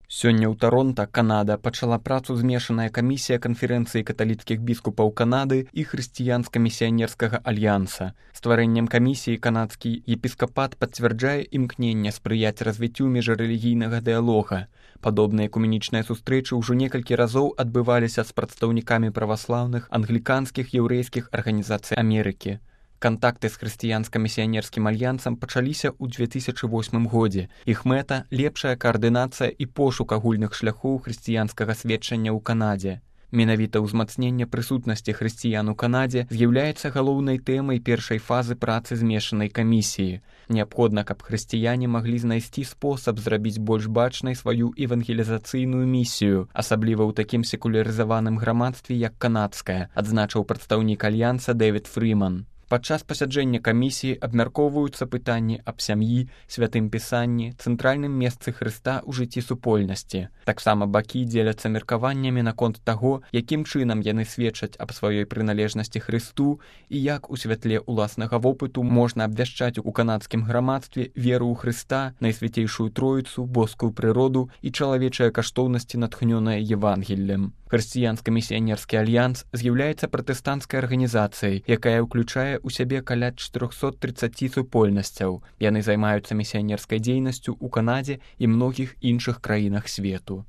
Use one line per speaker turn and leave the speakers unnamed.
Сёння ў Таронта, Канада, пачала працу змешаная камісія канферэнцыі каталіцкіх біскупаў Канады і хрысціянска-місіянерскага альянса. Стварэннем камісіі канадскі епіскапат пацвярджае імкненне спрыяць развіццю міжрэлігійнага дыялога. Падобныя экуменічныя сустрэчы ўжо некалькі разоў адбываліся з прадстаўнікамі праваслаўных, англіканскіх, яўрэйскіх арганізацый Амерыкі. Кантакты з хрысціянска-місіянерскім альянсам пачаліся ў 2008 годзе. Іх мэта – лепшая каардынацыя і пошук агульных шляхоў хрысціянскага сведчання ў Канадзе. Менавіта ўзмацненне прысутнасці хрысціян у Канадзе з'яўляецца галоўнай тэмай першай фазы працы змешанай камісіі. Неабходна, каб хрысціяне маглі знайсці спосаб зрабіць больш бачнай сваю евангелізацыйную місію, асабліва ў такім секулярызаваным грамадстве, як канадскае, адзначыў прадстаўнік альянса Дэвід Фріман. Падчас пасяджэння камісіі абмяркоўваюцца пытанні аб сям'і, святым пісанні, цэнтральным месцы Хрыста ў жыцці супольнасці. Таксама бакі дзеляцца меркаваннямі наконт таго, якім чынам яны сведчаць аб сваёй прыналежнасці Хрысту і як у святле ўласнага вопыту можна абвяшчаць у канадскім грамадстве веру ў Хрыста, Найсвяцейшую Троіцу, боскую прыроду і чалавечыя каштоўнасці, натхнёныя Евангеллем. Хрысціянска-місіянерскі альянс з'яўляецца пратэстанцкай арганізацыяй, якая ўключае у сябе каля 430 супольнасцяў. Яны займаюцца місіянерскай дзейнасцю ў Канадзе і многіх іншых краінах свету.